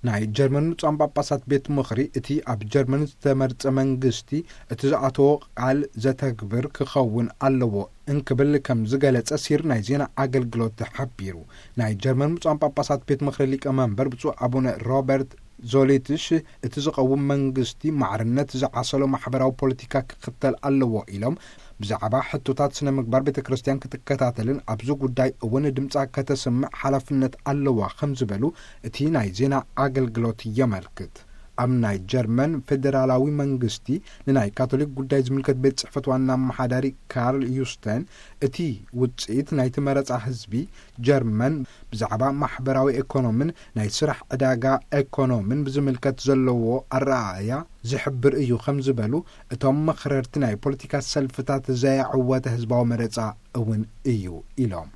ናይ ጀርመን ብፁዓን ጳጳሳት ቤት ምኽሪ፣ እቲ ኣብ ጀርመን ዝተመርጸ መንግስቲ እቲ ዝኣተዎ ቃል ዘተግብር ክኸውን ኣለዎ እንክብል ከም ዝገለጸ ሲር ናይ ዜና ኣገልግሎት ሓቢሩ። ናይ ጀርመን ብፁዓን ጳጳሳት ቤት ምኽሪ ሊቀመንበር ብፁዕ ኣቡነ ሮበርት ዞሊትሽ፣ እቲ ዝቐውም መንግስቲ ማዕርነት ዝዓሰሎ ማሕበራዊ ፖለቲካ ክኽተል ኣለዎ ኢሎም፣ ብዛዕባ ሕቶታት ስነ ምግባር ቤተ ክርስቲያን ክትከታተልን ኣብዚ ጉዳይ እውን ድምጻ ከተስምዕ ሓላፍነት ኣለዋ ከም ዝበሉ እቲ ናይ ዜና ኣገልግሎት የመልክት። ኣብ ናይ ጀርመን ፌዴራላዊ መንግስቲ ንናይ ካቶሊክ ጉዳይ ዝምልከት ቤት ጽሕፈት ዋና ኣመሓዳሪ ካርል ዩስተን፣ እቲ ውጽኢት ናይቲ መረጻ ህዝቢ ጀርመን ብዛዕባ ማሕበራዊ ኤኮኖምን ናይ ስራሕ ዕዳጋ ኤኮኖምን ብዝምልከት ዘለዎ ኣረኣእያ ዝሕብር እዩ ከም ዝበሉ፣ እቶም መኽረርቲ ናይ ፖለቲካ ሰልፍታት ዘየዕወተ ህዝባዊ መረጻ እውን እዩ ኢሎም።